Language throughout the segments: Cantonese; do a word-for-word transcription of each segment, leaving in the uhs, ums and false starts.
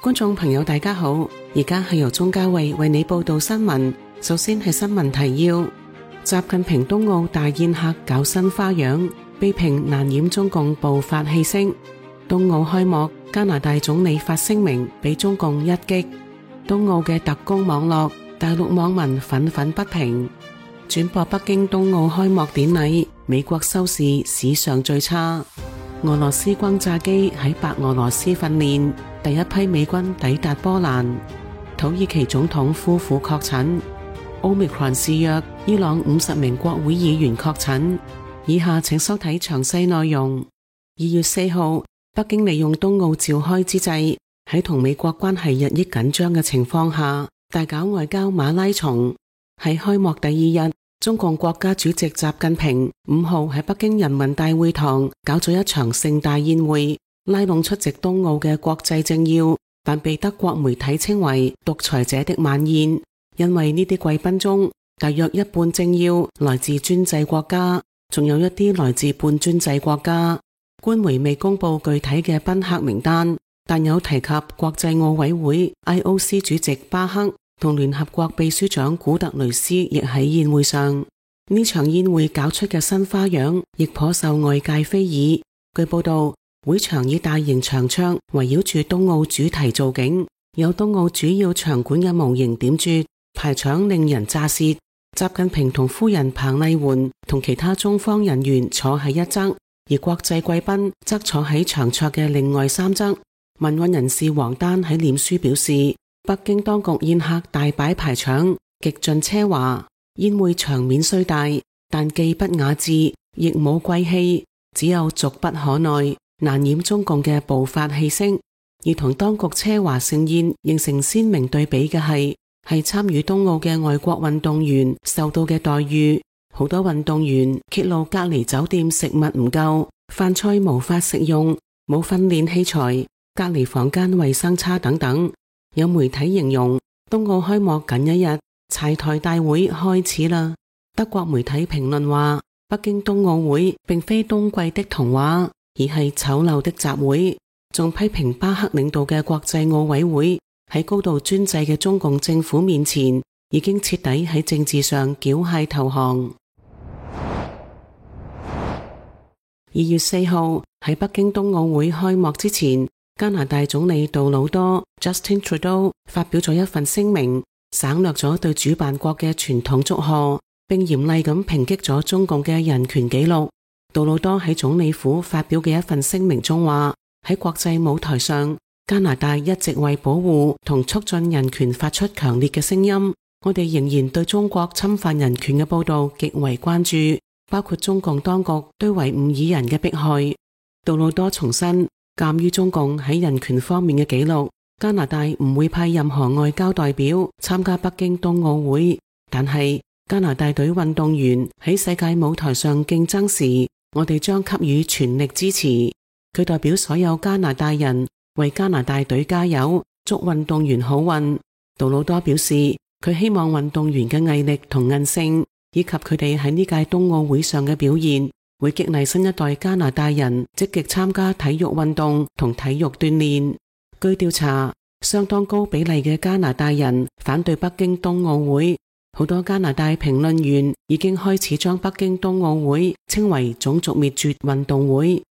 觀眾朋友大家好，而家係由鍾嘉慧為你報道新聞。首先係新聞提要：習近平冬奧大宴客搞新花樣，被評難掩中共暴發氣息。冬奧開幕，加拿大總理發聲明俾中共一擊。冬奧嘅特工網絡，大陸網民憤憤不平。轉播北京冬奧開幕典禮，美國收視史上最差。俄羅斯轟炸機喺白俄羅斯訓練，第一批美軍抵達波蘭。土耳其總統夫婦確診。Omicron 肆虐，伊朗五十名國會議員確診。以下請收睇詳細內容。二月四號，北京利用冬奧召開之際，喺同美國關係日益緊張嘅情況下，大搞外交馬拉松。喺開幕第二日，中共國家主席習近平五號喺北京人民大會堂搞咗一場盛大宴會，拉攏出席冬奧嘅國際政要，但被德國媒體稱為獨裁者的晚宴，因為呢啲貴賓中大約一半政要來自專制國家，仲有一啲來自半專制國家。官媒未公布具體嘅賓客名單，但有提及國際奧委會 I O C 主席巴克同聯合國秘書長古特雷斯亦喺宴會上。呢場宴會搞出嘅新花樣亦頗受外界非議。據報道，會場以大型長桌圍繞住冬奧主題造景，有冬奧主要場館嘅模型點綴，排場令人咋舌。習近平同夫人彭麗媛同其他中方人員坐喺一側，而國際貴賓則坐喺長桌嘅另外三側。民運人士王丹喺臉書表示，北京當局宴客大擺排場，極盡奢華。宴會場面雖大，但既不雅致，亦冇貴氣，只有俗不可耐，難掩中共嘅暴發氣息。而同當局奢華盛宴形成鮮明對比嘅係，係參與冬奧嘅外國運動員受到嘅待遇。好多運動員揭露隔離酒店食物唔夠，飯菜無法食用，冇訓練器材，隔離房間衛生差等等。有媒體形容冬奧開幕僅一日，柴台大會開始啦。德國媒體評論話，北京冬奧會並非冬季的童話，而係醜陋的集會。仲批評巴克領導嘅國際奧委會喺高度專制嘅中共政府面前，已經徹底喺政治上繳械投降。二月四號喺北京冬奧會開幕之前，加拿大總理杜魯多 Justin Trudeau 發表咗一份聲明，省略咗對主辦國嘅傳統祝賀，並嚴厲咁抨擊咗中共嘅人權紀錄。杜魯多喺總理府發表嘅一份聲明中話，喺國際舞台上，加拿大一直為保護同促進人權發出強烈嘅聲音。我哋仍然對中國侵犯人權嘅報道極為關注，包括中共當局對維吾爾人嘅迫害。杜魯多重申，鑒於中共喺人權方面嘅紀錄，加拿大唔會派任何外交代表參加北京冬奧會。但係加拿大隊運動員喺世界舞台上競爭時，我哋將給予全力支持。佢代表所有加拿大人為加拿大隊加油，祝運動員好運。杜魯多表示，佢希望運動員嘅毅力同韌性，以及佢哋喺呢屆冬奧會上嘅表現，會激勵新一代加拿大人積極參加體育運動同體育鍛煉。據調查，相當高比例嘅加拿大人反對北京冬奧會，好多加拿大評論員已經開始將北京冬奧會稱為種族滅絕運動會。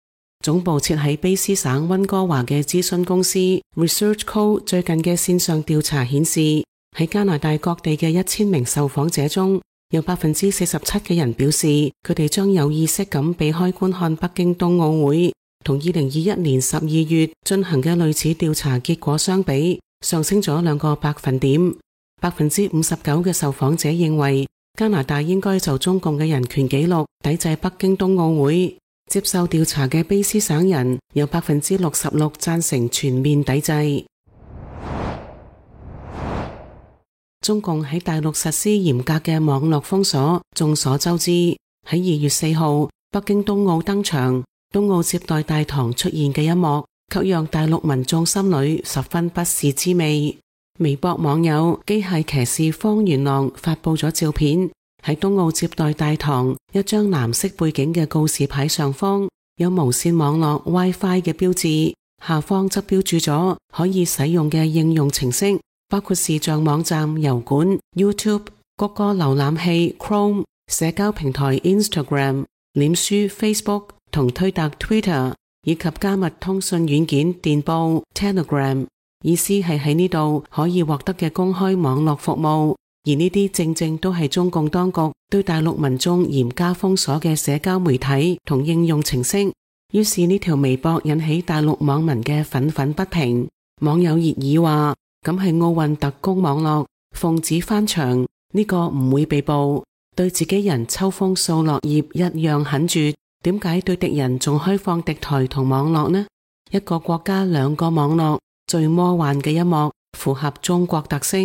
總部設喺卑詩省溫哥華嘅諮詢公司 ResearchCo 最近嘅線上調查顯示，喺加拿大各地嘅一千名受訪者中，有百分之四十七嘅人表示，佢哋將有意識咁避開觀看北京冬奧會。同二零二一年十二月進行嘅類似調查結果相比，上升咗兩個百分點。百分之五十九嘅受訪者認為，加拿大應該就中共嘅人權紀錄抵制北京冬奧會。接受調查嘅卑詩省人有百分之六十六贊成全面抵制。中共喺大陸實施嚴格嘅網絡封鎖，眾所周知。喺二月四號，北京冬奧登場，冬奧接待大堂出現嘅一幕，卻讓大陸民眾心裏十分不是滋味。微博網友機械騎士方元朗發佈咗照片。喺冬奧接待大堂，一張藍色背景嘅告示牌上方有無線網絡 WiFi 嘅標誌，下方則標註咗可以使用嘅應用程式，包括視像網站、油管、YouTube、谷歌瀏覽器、Chrome、社交平台 Instagram、臉書 Facebook 同推特 Twitter， 以及加密通訊軟件電報 Telegram。意思係喺呢度可以獲得嘅公開網絡服務，而呢啲正正都係中共當局對大陸民眾嚴加封鎖嘅社交媒體同應用程式。於是呢條微博引起大陸網民嘅憤憤不平，網友熱議話：咁係奧運特工網絡，奉旨翻牆，呢個唔會被捕，對自己人秋風掃落葉一樣狠絕，點解對敵人仲開放敵台同網絡呢？一個國家兩個網絡，最魔幻嘅一幕，符合中國特色。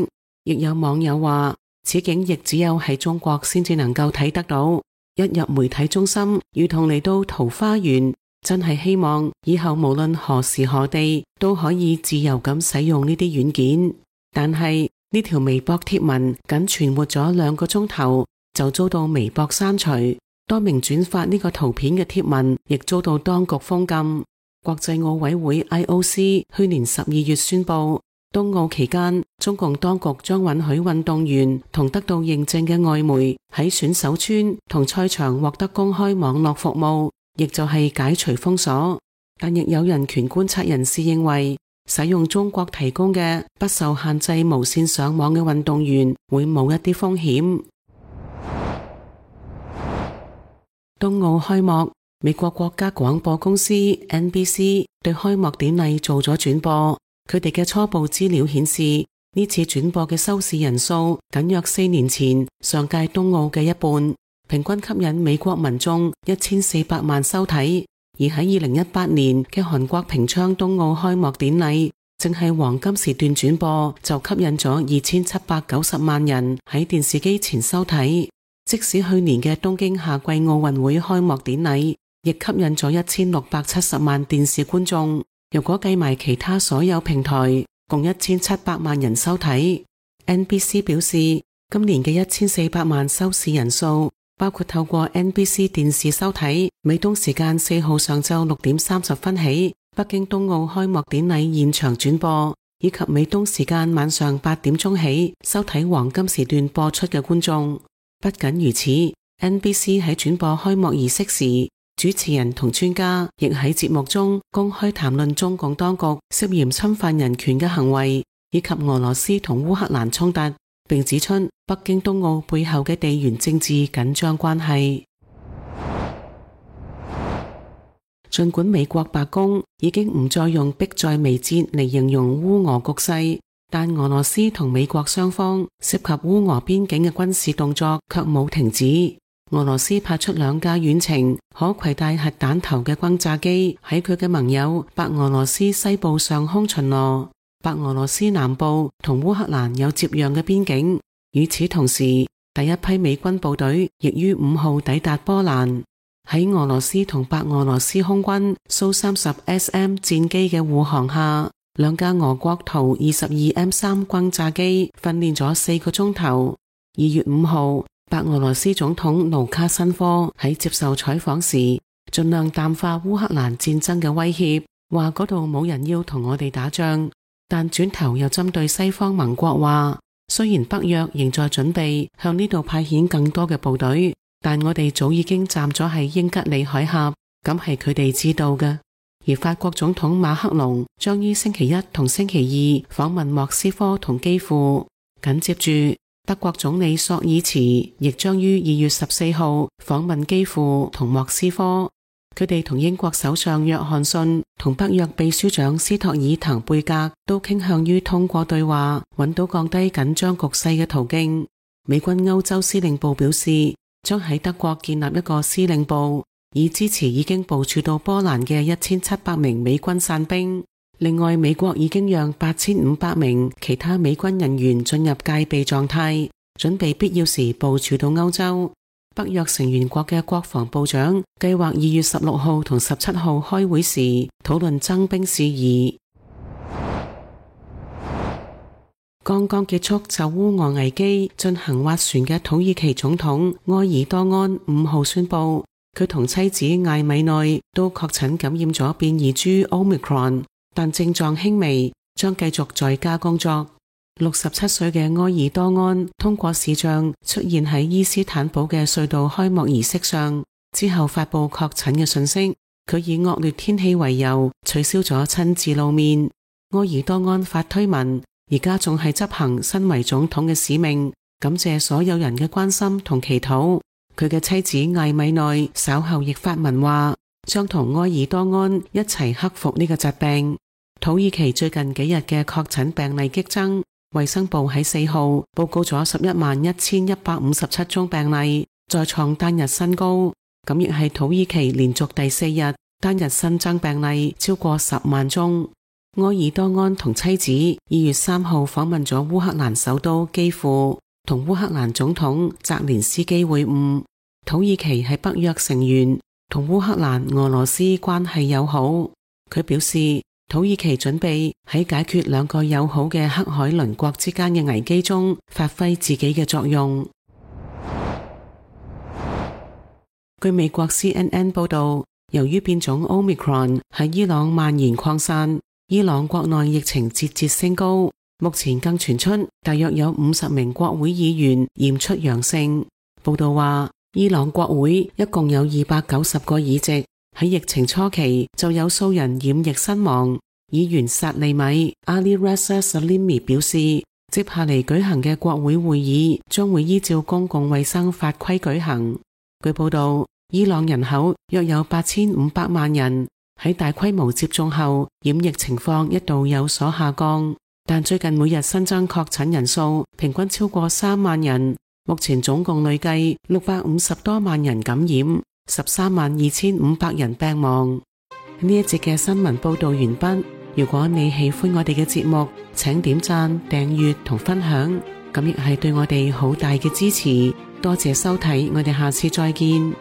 亦有網友話，此景亦只有喺中國先至能夠睇得到，一入媒體中心，如同嚟到桃花源。真係希望以後無論何時何地都可以自由咁使用呢啲軟件。但係呢條微博貼文僅存活咗兩個鐘頭，就遭到微博刪除。多名轉發呢個圖片嘅貼文亦遭到當局封禁。國際奧委會 I O C 去年十二月宣布，冬奧期間中共當局將允許運動員同得到認證嘅外媒喺選手村同賽場獲得公開網絡服務，亦就係解除封鎖。但亦有人權觀察人士認為，使用中國提供嘅不受限制無線上網嘅運動員會冇一啲風險。冬奧開幕，美國國家廣播公司 N B C 對開幕典禮做咗轉播。佢哋嘅初步資料顯示，呢次轉播嘅收視人數僅約四年前上屆冬奧嘅一半，平均吸引美國民眾一千四百萬收睇。而喺二零一八年嘅韓國平昌冬奧開幕典禮，淨係黃金時段轉播就吸引咗二千七百九十萬人喺電視機前收睇。即使去年嘅東京夏季奧運會開幕典禮，亦吸引咗一千六百七十萬電視觀眾。如果計埋其他所有平台，共一千七百萬人收睇。N B C 表示，今年嘅一千四百萬收視人數，包括透過 N B C 電視收睇，美東時間四號上晝六點三十分起，北京冬奧開幕典禮現場轉播，以及美東時間晚上八點鐘起收睇黃金時段播出嘅觀眾。不僅如此， N B C 喺轉播開幕儀式時，主持人同專家亦喺節目中公開談論中共當局涉嫌侵犯人權嘅行為，以及俄羅斯同烏克蘭衝突，並指出北京冬奧背後嘅地緣政治緊張關係。儘管美國白宮已經唔再用迫在眉睫嚟形容烏俄局勢，但俄羅斯同美國雙方涉及烏俄邊境嘅軍事動作卻冇停止。俄羅斯派出兩架遠程可攜帶核彈頭嘅轟炸機喺佢嘅盟友白俄羅斯西部上空巡邏。白俄羅斯南部同烏克蘭有接壤嘅邊境。與此同時，第一批美軍部隊亦於五號抵達波蘭。喺俄羅斯同白俄羅斯空軍蘇三十 S M 戰機嘅護航下，兩架俄國圖二十二 M 三轟炸機訓練咗四個鐘頭。二月五號，白俄羅斯總統盧卡申科喺接受採訪時，盡量淡化烏克蘭戰爭嘅威脅，話嗰度冇人要同我哋打仗，但轉頭又針對西方盟國話，雖然北約仍在準備向呢度派遣更多嘅部隊，但我哋早已經站咗喺英吉利海峽，咁係佢哋知道嘅。而法國總統馬克龍將於星期一同星期二訪問莫斯科同基輔，緊接住德國總理朔爾茨亦將於二月十四號訪問基輔同莫斯科。佢哋同英國首相約翰遜同北約秘書長斯托爾滕貝格都傾向於通過對話揾到降低緊張局勢嘅途徑。美軍歐洲司令部表示，將喺德國建立一個司令部，以支持已經部署到波蘭嘅一千七百名美軍傘兵。另外，美國已經讓八千五百名其他美軍人員進入戒備狀態，準備必要時部署到歐洲。北約成員國嘅國防部長計劃二月十六號同十七號開會時討論增兵事宜。剛剛結束就烏俄危機進行斡旋嘅土耳其總統埃爾多安五號宣布，佢同妻子艾米內都確診感染咗變異株 Omicron。但症狀輕微，將繼續在家工作。六十七歲嘅埃爾多安通過視像出現喺伊斯坦堡嘅隧道開幕儀式上，之後發佈確診嘅訊息。佢以惡劣天氣為由取消咗親自露面。埃爾多安發推文，而家仲係執行身為總統嘅使命，感謝所有人嘅關心同祈禱。佢嘅妻子艾米內稍後亦發文話，將同埃爾多安一齊克服呢個疾病。土耳其最近幾日嘅確診病例激增，衛生部喺四號報告咗十一萬一千一百五十七宗病例，再創單日新高。咁亦係土耳其連續第四日單日新增病例超過十萬宗。埃爾多安同妻子二月三號訪問咗烏克蘭首都基輔，同烏克蘭總統澤連斯基會晤。土耳其係北約成員，同烏克蘭、俄羅斯關係友好。佢表示，土耳其準備喺解決兩個友好嘅黑海鄰國之間嘅危機中發揮自己嘅作用。據美國 C N N 報道，由於變種 Omicron 喺伊朗蔓延擴散，伊朗國內疫情節節升高，目前更傳出大約有五十名國會議員驗出陽性。報道話，伊朗國會一共有二百九十個議席，喺疫情初期就有數人染疫身亡。議員薩利米 Ali Reza Salimi 表示，接下嚟舉行嘅國會會議將會依照公共衛生法規舉行。據報道，伊朗人口約有八千五百萬人，喺大規模接種後，染疫情況一度有所下降，但最近每日新增確診人數平均超過三萬人，目前總共累計六百五十多萬人感染，十三萬二千五百人病亡。呢一節嘅新聞報道完畢。如果你喜歡我哋嘅節目，請點讚、訂閱同分享，咁亦係對我哋好大嘅支持。多謝收睇，我哋下次再見。